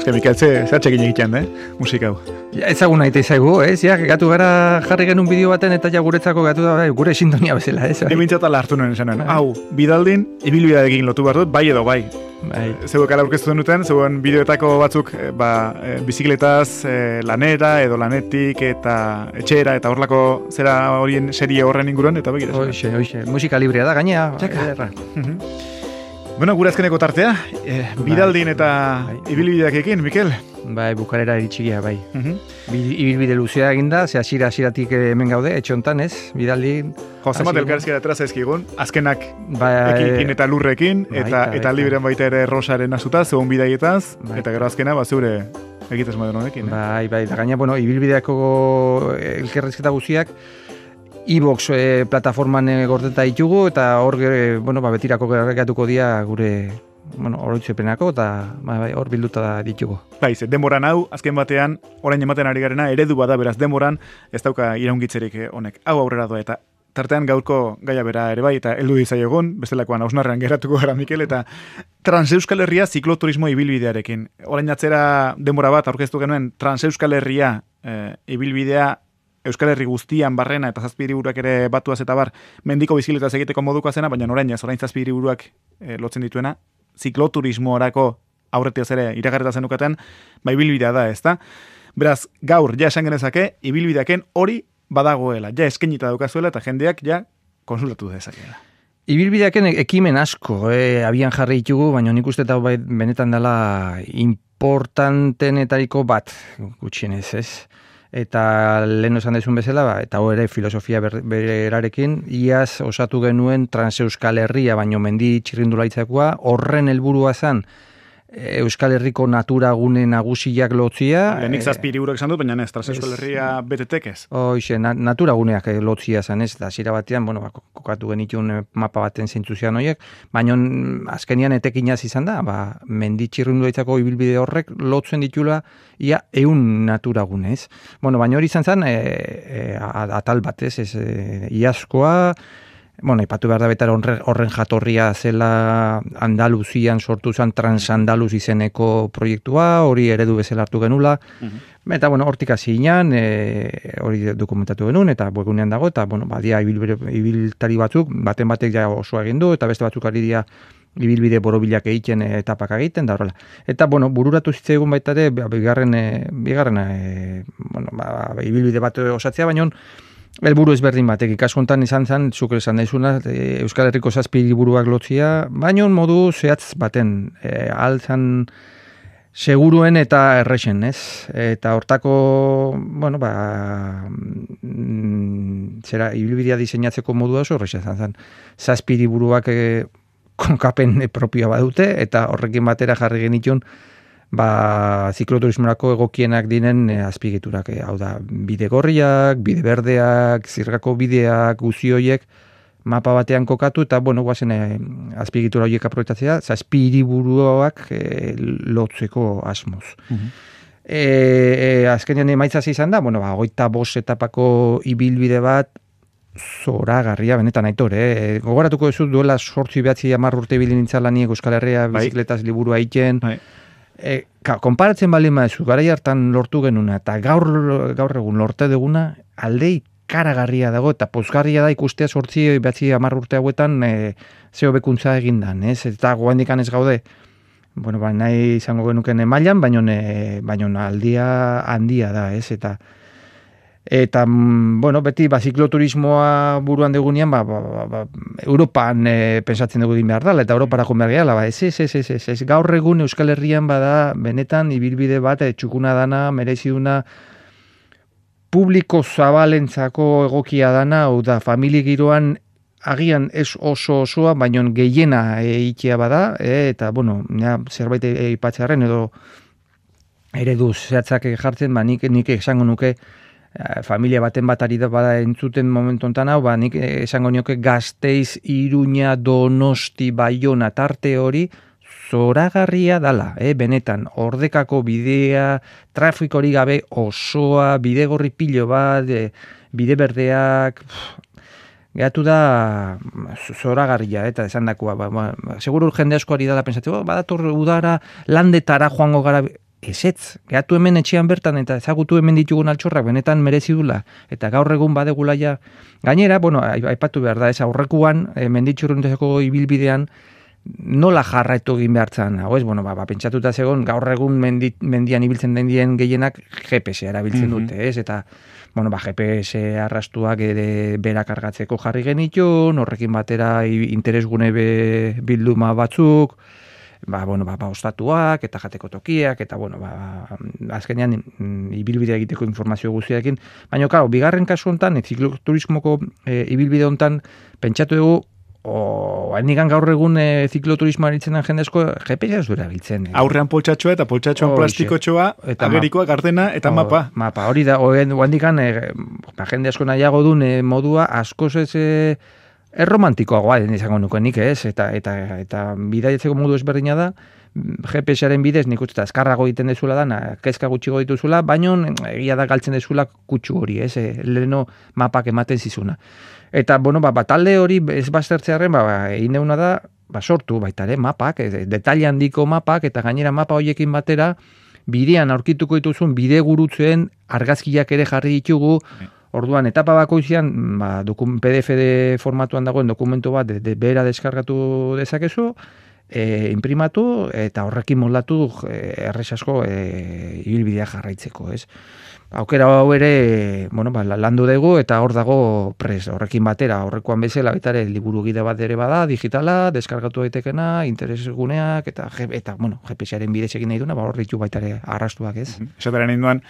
Eske Mikel, zatxekin egiten, musika hau. Ja, ezaguna ite zaigu, ez? Ja, gatu gara jarri genuen bideo baten eta ja guretzako gatu da, gure sintonia bezala, ez? Emintzatala hartu nuen esanen. Hau, bidaldin, ibilbidearekin lotu behar dut, bai edo bai. Zeuek ala aurkeztu denuten, zeuen bideoetako batzuk bizikletaz lanera edo lanetik eta etxera eta horlako zera horien serie horren inguruan, eta begira. Hoxe, musika librea da, gainea. Txaka. Bueno, gure azkeneko tartea, bidaldin eta ibilbideak ekin, Mikel? Bai, bukarera iritxigia, bai. Ibilbide luzea eginda, ze hasieratik hemen gaude, etxe hontan, ez? Bidaldin... Zemat elkarrizkera traza ezkigun, azkenak ekin eta lurrekin, eta librean baita ere rosaren azuta, zegoen bidaietaz, eta gero azkena, zeure egitaz moden honekin. Bai, da gaina, ibilbideako elkarrizketa guziak, iVox plataforman gordeta ditugu, eta hor, betirako gergatuko dia gure oroitzepenako, eta hor bilduta ditugu. Baiz, denboran hau, azken batean, orain ematen ari garena, eredu bada beraz denboran, ez dauka iraungitzerik honek. Hau aurrera doa, eta tartean gaurko gaia bera ere bai, eta heldu dizaiogun, bestelakoan hausnarrean geratuko gara, Mikel, eta Transeuskal Herria zikloturismo ibilbidearekin. Orain atzera denbora bat aurkeztu genuen Transeuskal Herria ibilbidea Euskal Herri guztian barrena eta 7 hiriburuak ere batuaz eta bar mendiko bizikletaz egiteko moduko zena, baina orain 7 hiriburuak lotzen dituena, zikloturismoarako aurretiaz ere iragarreta zenukaten, ibilbidea da, ezta? Beraz, gaur ja esan genezake, ibilbideaken hori badagoela, ja eskenita daukazuela eta jendeak ja konsultatu dezakeela. Ibilbideaken ekimen asko, abian jarri ditugu, baina nik uste eta benetan dela importantenetariko bat, gutxienez, ez? Eta lehen esan dezun bezala, eta hori ere filosofia berarekin, iaz osatu genuen Transeuskal Herria, baino mendi txirrindulaitzakoa, horren helburua zen Euskal Herriko natura gune nagusiak lotzia. Lehenik 7 hiriburuak esan dut, baina ez, Transeuskal Herria betetek ez. Hoxe, natura guneak lotzia zen ez, eta zira batean, kokatu genitun mapa baten zintzuzian horiek, baina azkenian etekinaz izan da, mendi txirrindulaitzako ibilbide horrek lotzen ditula ia 100 natura gune ez. Baina hori izan zen, atal bat ez, iazkoa, ipatu behar da betar horren jatorria zela Andaluzian sortu zen Transandaluz izeneko proiektua, hori eredu bezala hartu genula. Eta, hortik hasi ginen, hori dokumentatu genuen, eta webgunean dago, eta, badia ibiltari batzuk, baten batek ja osoa egin du, eta beste batzuk ari dira ibilbide borobilak egiten, etapak egiten, da horrela. Eta, bururatu zitzaigun baita ere, bigarren ibilbide bat osatzea, baina helburu ezberdin batek, ikaskontan izan zen, zuk esan daizuna, Euskal Herriko 7 hiriburuak lotzia, baina modu zehatz baten, altzan seguruen eta errexen, ez? Eta hortako, zera, ibilbidea diseinatzeko modua oso errexen zen. 7 hiriburuak konkapen propioa badute, eta horrekin batera jarri genitun, zikloturismorako egokienak dinen azpigiturak, hau da, bide gorriak, bide berdeak, zirgako bideak, guzioiek, mapa batean kokatu, eta, guazen azpigitura horiek aprobetatzea, 7 hiriburuak lotzeko asmoz. Azkenean emaitzaz izan da, 25 etapako ibilbide bat, zoragarria, benetan aitor, gogoratuko duzu duela 8-9 urte ibili nintzen laniek Euskal Herria bizikletaz liburua egiten, konparatzen baldin mazu, garai hartan lortu genuna, eta gaur egun lorte duguna, aldei karagarria dago, eta pozgarria da ikustea 8-9 urte hauetan zeo bekuntza egindan, ez? Eta goendikan ez gaude, nahi izango genuken mailan, baina aldia handia da, ez? Eta beti zikloturismoa buruan degunean, Europan pensatzen dugu egin behar dela, eta Europara joan behar gehala, ez, gaur egun Euskal Herrian bada, benetan, ibilbide bat, txukuna dana, mereziduna, publiko zabalentzako egokia dana, hau da, familia giroan, agian ez oso osoa, baina gehiena eitea bada, eta, zerbait eipatzearen, edo eredu zehatzak jartzen, nik esango nuke, familia baten bat ari da bada entzuten momentu ontan hau, nik esango nioke Gasteiz, Iruña, Donosti, Baiona tarte hori zoragarria dala, benetan, ordekako bidea, trafikorik gabe osoa, bide gorri pilo bat, bide berdeak, gehatu da zoragarria, eta esan dakoa, seguru jende asko ari dala pensatzeko, badator udara, landetara joango gara, ezetz, gehatu hemen etxean bertan eta ezagutu hemen ditugun altxorrak benetan merezi dula, eta gaur egun badegula ja, gainera, bueno, aipatu behar da, ez aurrekuan, menditxurrundeko ibilbidean, nola jarraitu egin behartzen, hau ez, bueno, pentsatuta zegoen, gaur egun mendian ibiltzen den dien gehienak GPS erabiltzen dute, ez, eta, bueno, GPS arrastuak berak kargatzeko jarri genitun, horrekin batera interesgune bilduma batzuk, ostatuak, eta jateko tokiak, eta, bueno, azkenean ibilbidea egiteko informazio guztiarekin, baina, claro, bigarren kasu hontan, zikloturismoko ibilbide hontan, pentsatu dugu, hainikan gaur egun zikloturismoa eritzen jendezko GPS ez duera biltzen. Aurrean poltsatxoa eta poltsatxoan plastikotxoa, agerikoa, gardena eta mapa. Mapa, hori da, hainikan jende asko nahiago duen modua askoz ez erromantikoagoa izango nukenik, ez? Eta bidaiatzeko modu ezberdina da, GPS-aren bidez nik uste azkarrago egiten dezula da, kezka gutxigo dituzula, baino egia da galtzen dezula kutsu hori, ez? Leheno mapak ematen zizuna. Eta, bueno, talde hori ez baztertzearen, egin deuna da, sortu baita ere, mapak, detaile handiko mapak, eta gainera mapa horiekin batera, bidean aurkituko dituzun, bide gurutzuen argazkiak ere jarri ditugu, orduan, etapa bakoitzean, PDF formatuan dagoen dokumentu bat, behera deskargatu dezakezu, imprimatu, eta horrekin moldatu erresasko ibilbidea jarraitzeko, ez? Aukera hau ere, bueno, landu dugu eta hor dago pres, horrekin batera, horrekoan bezala, baita ere, liburu gide bat ere bada, digitala, deskargatu daitekena, interesguneak, eta bueno, GPS-aren bidez egin nahi duna, hor ditu baita ere arrastuak, ez? Esataren induan,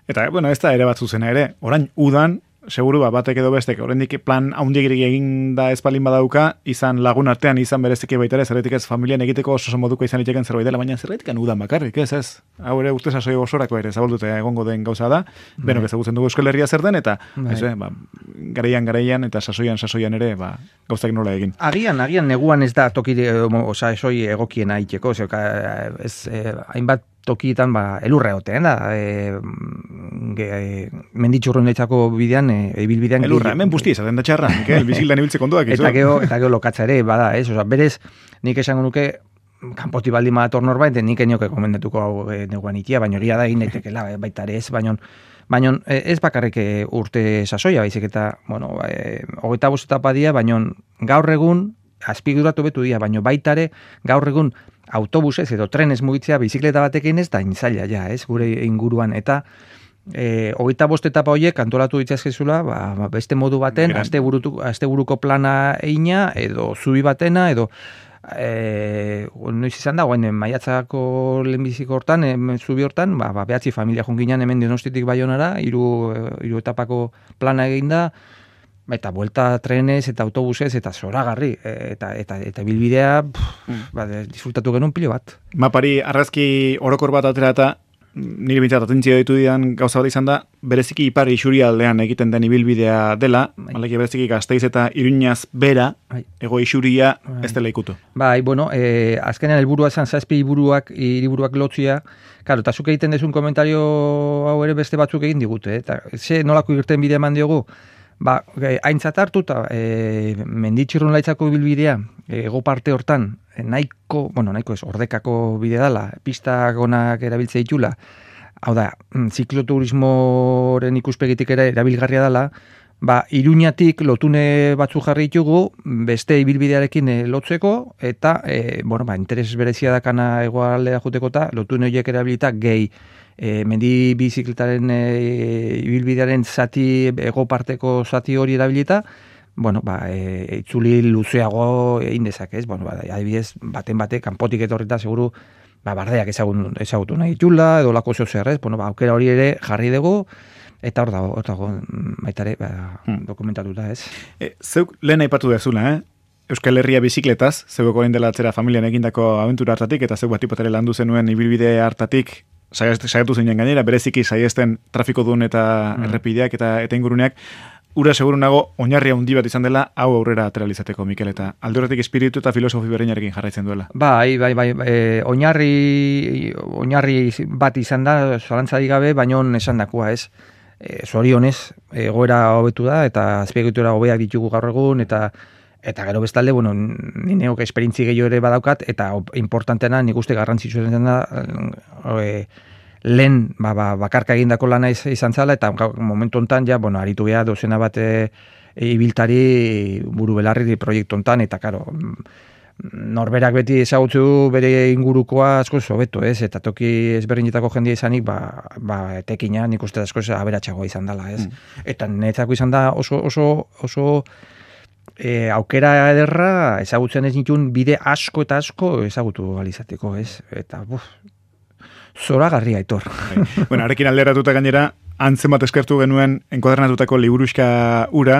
eta, bueno, ez da ere bat zuzena ere, orain udan, seguru batek edo bestek, oraindik plan haundigirik egin da espalin badauka, izan lagun artean, izan bereziki baita ere, zerretik ez familian egiteko oso moduko izan liteken zerbait dela, baina zerretik udan bakarrik, ez? Hau ere urte sasoi osorako ere, zabaldute egongo den gauza da, benok ezagutzen dugu Euskal Herria zer den, eta garaian eta sasoian ere, gauzak nola egin. Agian neguan ez da tokire, esoi egokiena itxeko, hainbat tokietan elurra egoten da, menditxurrundetzako bidean, ibilbidean. Elurra, hemen busti ezaten da txarra, bizildan ibiltze kontuak. Eta gero lokatza ere, bada, ez? Berez, nik esango nuke, kanpoti baldin badator norbait, nik enioke komendatuko hau neguan itia, baina egia da egin daitekela, baita ere ez, baina ez bakarrik urte sasoia, baizik eta, bueno, 25 etapa dira, baina gaur egun, azpiguratu betu dira, baina baita ere, gaur egun, autobusez edo trenez mugitzea bizikleta batekin ez da inzaila ja, ez, gure inguruan, eta 25 etapa horiek antolatu ditzazkezula, beste modu baten, asteburuko plana eina, edo zubi batena, edo noiz izan da, maiatzako lehenbiziko hortan, zubi hortan, behatzi familia junginan hemen Donostiatik Baionara, hiru etapako plana eginda, eta buelta trenez eta autobusez eta zoragarri eta bilbidea disfrutatu genuen pilo bat. Mapari argazki orokor bat atera eta nire bintzat atentzio ditu dian gauza bat izan da, bereziki ipar isurialdean egiten den ibilbidea dela, maleki bereziki Gasteiz eta Iruñaz bera, ego isuria ez dela ikutu. Bueno, azkenean helburua izan 7 hiriburuak lotzia, claro, eta zuk egiten dezun komentario hau ere beste batzuk egin digute, eta nolako irten bidea eman diogu, aintzat hartu eta menditxurrun laitzako bilbidea ego parte hortan nahiko ez, ordekako bide dela, pistak onak erabiltze ditula, hau da, zikloturismoren ikuspegitik ere erabilgarria dela, Iruñatik lotune batzu jarri ditugu, beste ibilbidearekin lotzeko, eta, interes berezia dakana egoaldera juteko eta lotune horiek erabilita gehi mendi bizikletaren ibilbidearen zati, ego parteko zati hori erabilita, itzuli luzeago egin dezak, ez? Adibidez, baten kanpotik etorrita seguru, bardeak ezagutu nahi ditula, edo lako zeo zer, ez? Aukera hori ere jarri dugu, eta hor dago, baitare, dokumentatuta, ez? Zeuk lehen aipatu dezula, Euskal Herria bizikletaz, zeuk orain dela atzera familian egindako abentura hartatik, eta zeuk batipotare landu zenuen ibilbide hartatik, saiatu zinen gainera, bereziki saiesten trafiko duen eta errepideak eta inguruneak, ura seguru nago oinarri handi bat izan dela hau aurrera atera izateko, Mikel, eta alde horretik espiritu eta filosofi berreinarekin jarraitzen duela. Oinarri bat izan da, zalantzarik gabe, baino esandakoa, ez? Zorionez, egoera hobetu da, eta azpiegitura hobeak ditugu gaur egun, eta gero bestalde, ni neok esperientzi gehiago ere badaukat, eta importantena nik uste garrantzitsua da lehen bakarka egindako lana izan zala, eta momentu hontan ja, bueno, aritu geha dozena bat ibiltari buru belarri proiektu hontan, eta karo, norberak beti ezagutzu bere ingurukoa asko hobeto, ez? Eta toki ezberdinetako jendia izanik, etekina nik uste asko aberatsagoa izan dela, ez? Eta netzako izan da oso aukera ederra ezagutzen ez nituen bide asko eta asko ezagutu alizateko, ez? Eta, zoragarria, Aitor. Bueno, arekin alderatuta gainera, antzen bat eskertu genuen enkuadernatutako liburuxka ura,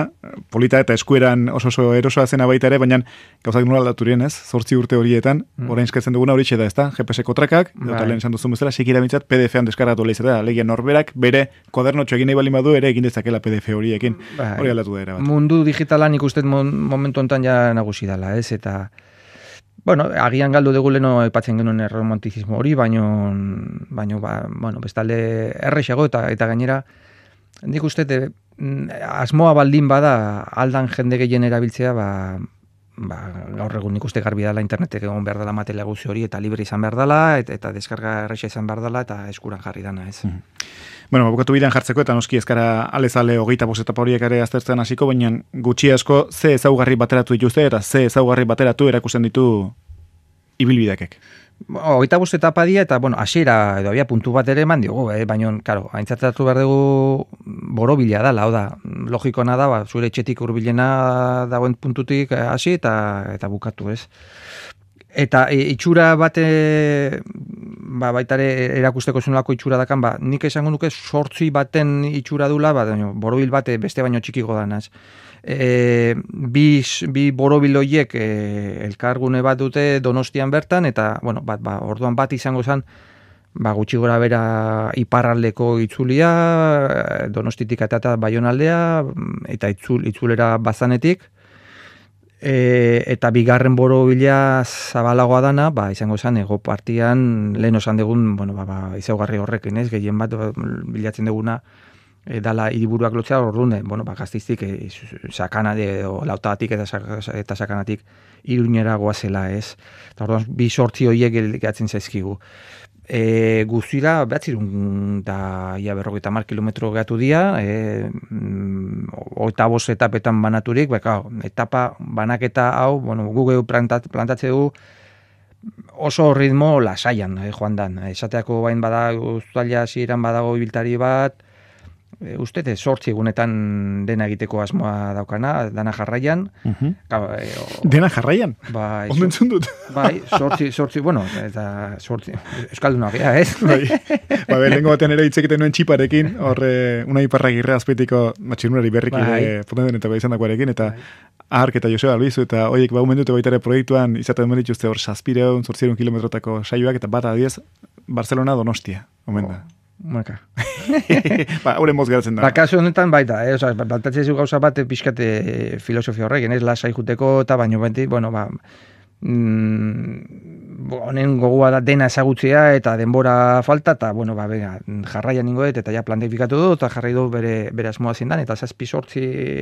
polita eta eskueran oso erosoa zena baita ere, baina gauzak nola aldaturien, ez? 8 urte horietan, orain eskatzen duguna horixe da, ez da? GPS-ko trakak, eta lehen esan duzun bezala, sikira bintzat PDF-an deskargatu lehizatea, legia norberak bere kodernotxo egin nahi bali badu ere egin dezakela PDF horiekin, hori aldatu da era bat. Mundu digitalan ikusten momentu hontan ja nagusi dela, ez? Eta bueno, agian galdu dugu leno aipatzen genuen romantizismo hori, baino bestalde errexago eta gainera nik uste asmoa baldin bada aldan jende gehien erabiltzea, gaur egun nik uste garbi dela internetek egon behar dela materiala guzti hori eta libre izan behar dela eta deskarga errexa izan behar dela eta eskuran jarri dana, ez? Bueno, bukatu bidean jartzeko eta noski ezkara alezale 25 etapa horiek ere aztertzen hasiko, baina gutxi asko ze ezaugarri bateratu dituzte eta ze ezaugarri bateratu erakusten ditu ibilbidekek. 25 etapa dira eta, hasiera edo abia puntu bat ere eman diogu, baina, karo, aintzatatu behar dugu borobila da, hau da, logikoena da, zure etxetik hurbilena dagoen puntutik hasi eta bukatu, ez? Eta itxura bate, baitare erakusteko zenolako itxura dakan, nik esango nuke 8 baten itxura dula, borobil bate beste baino txikiko danaz. Bi borobil horiek elkargune bat dute Donostian bertan, eta, orduan bat izango zen, gutxi gora bera iparraldeko itzulia, Donostitik eta Baionaldea, eta itzulera bazanetik, eta bigarren borobila zabalagoa dana, izango zen, ego partian, lehen osan dugun, izaugarri horrekin, ez, gehien bat bilatzen duguna, dala hiriburuak lotzea, orduan, Gasteiztik sakana edo lautagatik eta sakanatik Iruñera goazela, ez. Eta orduan, 2 horiek gehatzen zaizkigu. Guztira, 250 kilometro gehatu dira, 25 etapetan banaturik, etapa banaketa hau, Google plantatze du oso ritmo lasaian, joan dan. Esateako bain badago, uztaila hasieran badago ibiltari bat, uste 8 egunetan dena egiteko asmoa daukana, dana jarraian. Dena jarraian? Ondo entzun dut. 8, eta 8, euskaldunak, ez? Lehenko batean ere hitz egiten nuen txiparekin, horre, una iparragirre azpeitiko matxinurari berriki potenden eta izan dakoarekin, eta Ark eta Joseba Albizu, eta horiek umen dute baita ere proiektuan, izaten duen dituzte hor 700 kilometrotako saioak, eta bat adiez, Barcelona Donostia, omen da. Maka. Horren moz geratzen da. Kasu honetan baita, baltatzen zu gauza bat pixkate filosofia horrek, ez lasai juteko, eta baino benti, honen gogoa da dena ezagutzea eta denbora falta, eta, jarraian ningoet, eta ja planifikatu du, eta jarrai du bere asmoa zindan, eta 7-8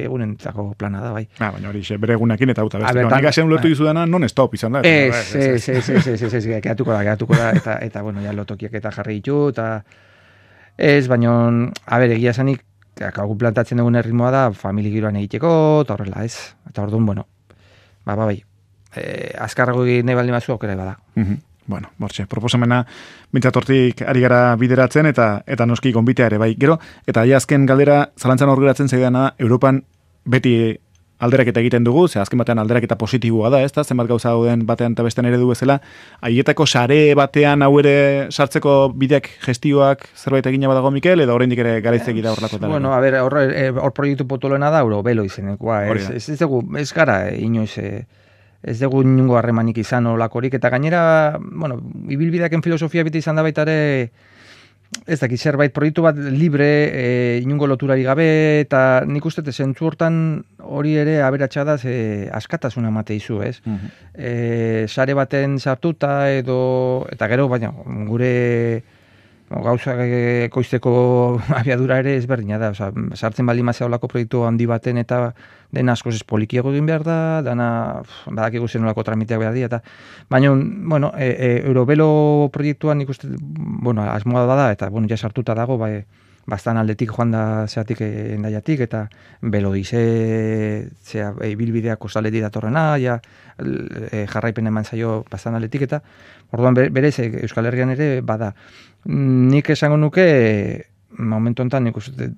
egunentzako plana da, bai. Baina hori, bere egunekin eta uta beste. Nik asean ulertu dizudana, non stop izan da. Geratuko da, eta, ja lotokiak eta jarri ditu, eta ez, baina, egia esanik, hau plantatzen dugun erritmoa da, famili giroan egiteko, eta horrela, ez. Eta orduan, bai. Azkarrago egin nahi baldin bazu aukera bada. Bortxe, proposamena mintzatortik ari gara bideratzen eta noski gonbitea ere, bai. Gero, eta azken galdera zalantzan hor geratzen zaidana, Europan beti alderaketa egiten dugu, azken batean alderaketa positiboa da, ezta? Zenbat gauza dauden batean eta bestean ere du bezala, haietako sare batean hau ere sartzeko bideak gestioak zerbait egina badago Mikel, edo oraindik ere garaitzeki da horlako tal. Hor proiektu potoloena da, Eurobelo izenekoa, ez gara, inoiz, ez dugu inungo harremanik izan olakorik, eta gainera, ibilbideaken filosofia beti izan da baita ere, ez dakit zerbait proiektu bat libre, inungo loturari gabe, eta nik uste zentzu hortan hori ere aberatsa da askatasuna emate izu, ez? Sare baten sartuta eta gero, baina gure gauza ekoizteko abiadura ere ezberdina da, osea, sartzen bali mazea olako proiektu handi baten eta den askoz ez polikiago egin behar da, dana badakigu zen olako tramiteak behar dira, eta baina, bueno, Eurovelo proiektuan ikuste, bueno, asmoa da, eta, bueno, ja sartuta dago, bai, bastan aldetik joan da zeatik endaiatik, eta Belodize zea ibilbidea kostaletik datorrena, ja jarraipen eman zaio bastan aldetik, eta orduan berez Euskal Herrian ere bada. Nik esango nuke momentu honetan nik uste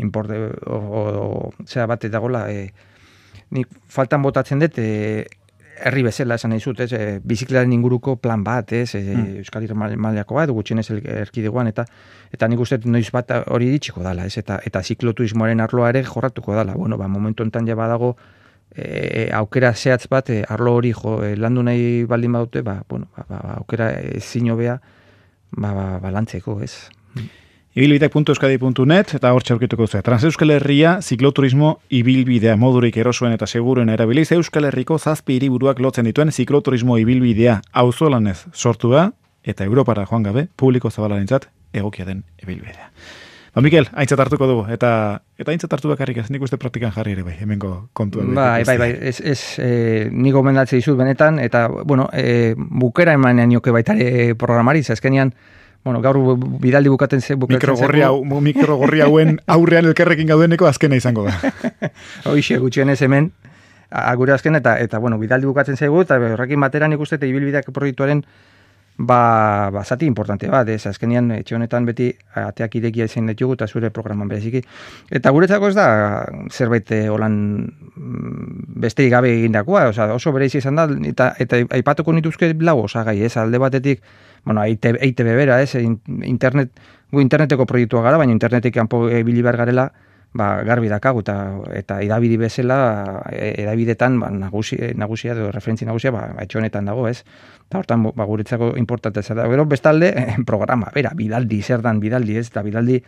importe zera bat dagoela nik faltan botatzen dut herri bezala esan nahi zut, bizikletaren inguruko plan bat, Euskal Herri mailako bat, gutxienez erkidegoan, eta nik uste noiz bat hori ditxiko dala, eta zikloturismoaren arloa ere jorratuko dala. Bueno, momentu honetan ja badago aukera zehatz bat, arlo hori landu nahi baldin badute, aukera ezin hobea lantzeko, ez? Ibilbideak.euskadi.net eta hor txaurkituko duzu. Transeuskal Herria zikloturismo ibilbidea modurik erosoen eta seguruen erabiliz Euskal Herriko 7 hiriburuak lotzen dituen zikloturismo ibilbidea auzolanez sortu da eta Europara joan gabe publiko zabalarentzat egokia den ibilbidea. Mikel, aintzat hartuko dugu, eta aintzat hartu bakarrik ez, nik uste praktikan jarri ere bai, hemengo kontua. Bai, nik gomendatzea dizut benetan, eta, bueno, bukera emanean nioke baitare programari, azkenean, bueno, gaur bidaldi bukatzen mikrogorri hauen aurrean elkerrekin gaudeneko azkena izango da. Hoixe, gutxienez hemen, gure azken, eta bueno, bidaldi bukatzen zaigu, eta horrekin batera nik uste, ibilbideak proiektuaren zati importante bat, azkenean etxe honetan beti ateak irekia izan ditugu eta zure programan bereziki. Eta guretzako ez da zerbait holan besterik gabe egindakoa, oso berezi izan da, eta aipatuko nituzke lau osagai, alde batetik, bueno, EITB bera, gu interneteko proiektua gara, baina internetik kanpo ibili behar garela, garbi dakagu, eta edabide bezala, edabidetan nagusia edo referentzi nagusia, etxe honetan dago, ez? Eta hortan, guretzako importantea da. Gero, bestalde, programa, bidaldi, zer dan bidaldi, ez? Eta bidaldi,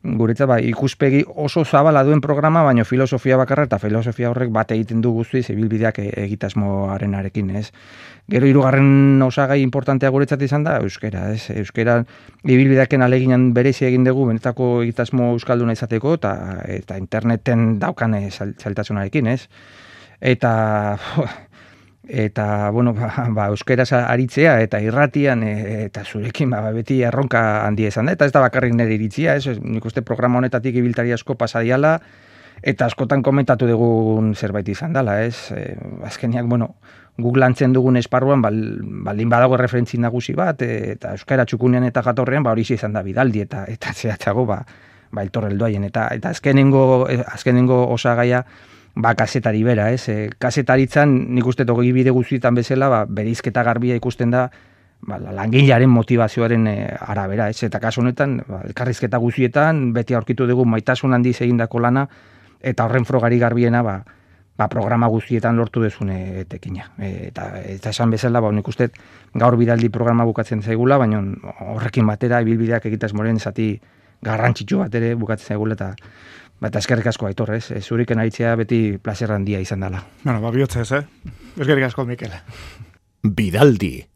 guretzat, ikuspegi oso zabala duen programa, baina filosofia bakarra, eta filosofia horrek bat egiten du guztiz, ibilbideak egitasmoarenarekin, ez? Gero, hirugarren osagai importantea guretzat izan da, euskera, ez? Euskera, ibilbideaken aleginan berezi egin dugu, benetako egitasmo euskalduna izateko, eta interneten daukan zailtasunarekin, ez? Eta bueno, euskeraz aritzea eta irratian eta zurekin beti erronka handia izan da, eta ez da bakarrik nire iritzia, nik uste programa honetatik ibiltari asko pasadiala eta askotan komentatu dugun zerbait izan dela, azkeniak, bueno, guk lantzen dugun esparruan baldin badago referentzi nagusi bat, eta euskara txukunean eta jatorrean hori izan da bidaldi eta zehatzago eltorreldoaien, eta azkenengo osagaia kazetari bera, kazetaritzan nik uste togi bide guztietan bezala, bereizketa garbia ikusten da langilearen motivazioaren arabera, eta kasu honetan, elkarrizketa guztietan, beti aurkitu dugu maitasun handiz egindako lana, eta horren frogari garbiena, programa guztietan lortu dezune tekina. Eta esan bezala, nik uste gaur bidaldi programa bukatzen zaigula, baina horrekin batera, ibilbideak egitasmoren zati garrantzitsu bat ere bukatzen zaigula, eta eskerrik asko Aitor, zuriken aritzea beti plazer handia izan dela. Bueno, bihotza ez, eskerrik asko, Mikel. Bidaldi,